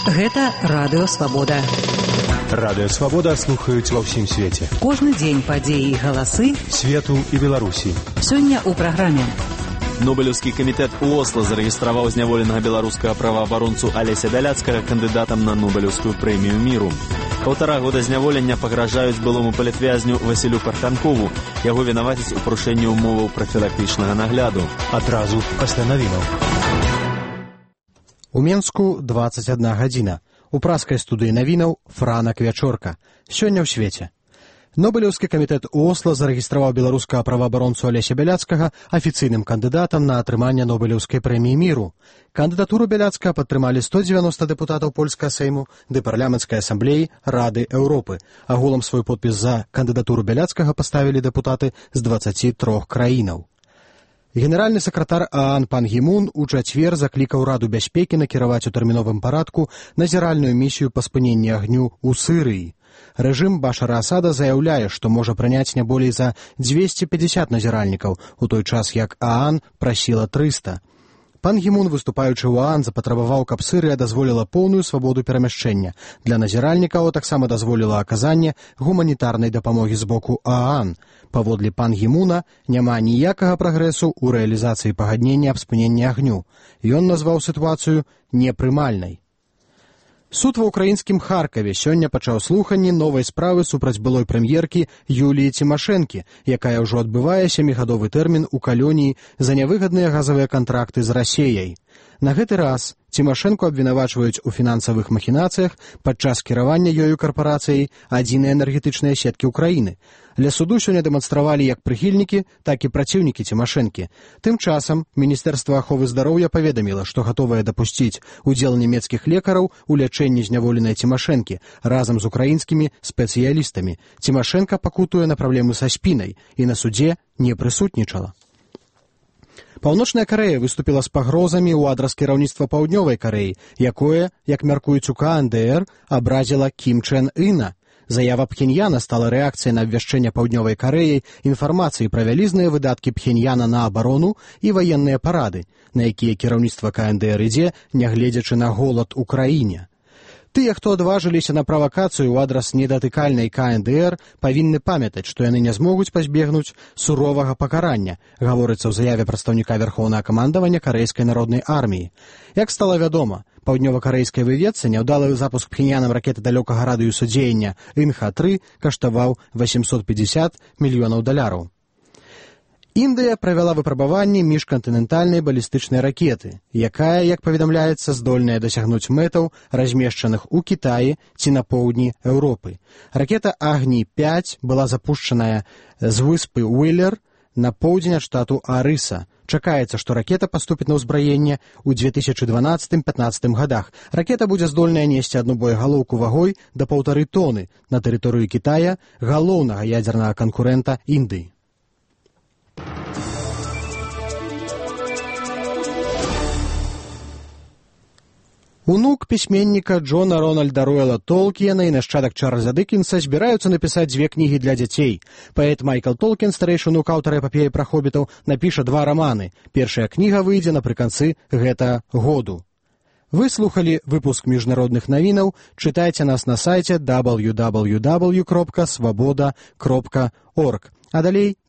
Гэта Радыё Свабода. Радыё Свабода слухаюць ва ўсім свеце. Кожны дзень падзеі і галасы свету і Беларусі. Сёння ў праграме. Нобелеўскі камітэт у Осла зарэгістраваў зняволенага беларускага праваабаронцу Алеся Бяляцкага кандыдатам на Нобелеўскую прэмію міру. 1,5 года зняволення пагражаюць былому палітвязню Васілю Парханкову. Яго вінавацяць у парушэнні ўмоваў прафілактычнага нагляду. Адразу пасля навінаў. У Менску 21 гадзіна. У праскай студыі навінаў Франак Вячорка. Сёння ў свеце. Нобелеўскі камітэт у Осла зарэгістраваў беларускага праваабаронцу Алеся Бяляцкага афіцыйным кандыдатам на атрыманне Нобелеўскай прэміі міру. Кандыдатуру Бяляцкага падтрымалі 190 дэпутатаў польскага сейму ды парламенцкай асамблеі Рады Еўропы. Агулам свой подпіс за кандыдатуру Бяляцкага паставілі дэпутаты з 23 краінаў. Генеральны сакратар ААН пан Гі Мун у чацвер заклікаў Раду бяспекі накіраваць у тэрміновым парадку назіральную місію па спыненні агню ў Сырыі. Рэжым Башара Асада заяўляе, што можа прыняць не болей за 250 назіральнікаў, у той час як ААН прасіла 300. Пан Гі Мун, выступаючы ў ААН, запатрабаваў, каб Сырыя дазволіла поўную свабоду перамяшчэння. Для назіральнікаў таксама дазволіла аказанне гуманітарнай дапамогі з боку ААН. Паводле пан Гі Муна няма ніякага прагрэсу ў рэалізацыі пагаднення аб спыненні агню. Ён назваў сітуацыю непрымальнай. Суд ва ўкраінскім Харкаве сёння пачаў слуханні новай справы супраць былой прэм'еркі Юліі Цімашэнкі, якая ўжо адбывае 7-гадовы тэрмін у калоніі за нявыгадныя газавыя кантракты з Расеяй. На гэты раз Цімашэнку абвінавачваюць у фінансавых махінацыях падчас кіравання ёю карпарацыяй адзінай энергетычнай сеткі ўкраіны. Ля суду сёння дэманстравалі як прыхільнікі, так і праціўнікі Цімашэнкі. Тым часам Міністэрства аховы здароўя паведаміла, што гатовае дапусціць удзел нямецкіх лекараў у лячэнні зняволенай Цімашэнкі разам з украінскімі спецыялістамі. Цімашэнка пакутуе на праблемы са спінай і на судзе не прысутнічала. Паўночная Карэя выступіла з пагрозамі ў адрас кіраўніцтва Паўднёвай Карэі, якое, як мяркуюць у КНДР, абразіла Кім Чен Іна. Заява Пхеньяна стала рэакцыяй на абвяшчэнне Паўднёвай Карэяй інфармацыі пра вялізныя выдаткі Пхеньяна на абарону і ваенныя парады, на якія кіраўніцтва КНДР ідзе, нягледзячы на голад у краіне. Тыя, хто адважыліся на правакацыю ў адрас недатыкальнай КНДР, павінны памятаць, што яны не змогуць пазбегнуць суровага пакарання, гаворыцца ў заяве прадстаўніка Вярхоўнага камандавання Карэйскай народнай арміі. Як стала вядома, паўднёва-карэйскай выведцы няўдалы запуск Пхеньянам ракеты далёкага радыусу дзеяння Інха-3 каштаваў $850 мільёнаў. Індыя правяла выпрабаванні міжкантынентальнай балістычнай ракеты, якая, як паведамляецца, здольная дасягнуць мэтаў, размешчаных у Кітаі ці на поўдні Еўропы. Ракета Агні-5 была запушчаная з выспы Уіллер на поўдзень ад штату Арыса. Чакаецца, што ракета паступіць на ўзбраенне ў 2012-15 гадах. Ракета будзе здольная несці адну боегалоўку вагой да 1,5 тоны на тэрыторыю Кітая, галоўнага ядзернага канкурэнта Індыі. Унук пісьменніка Джона Рональда Роэла Толкіена і нашчадак Чарльза Дыкенса збіраюцца напісаць 2 кнігі для дзяцей. Паэт Майкл Толкін, старэйшы унук аўтара эпапеі пра хобітаў, напіша 2 раманы. Першая кніга выйдзе напрыканцы гэтага году. Вы слухалі выпуск міжнародных навінаў. Чытайце нас на сайце www.swaboda.org. А далей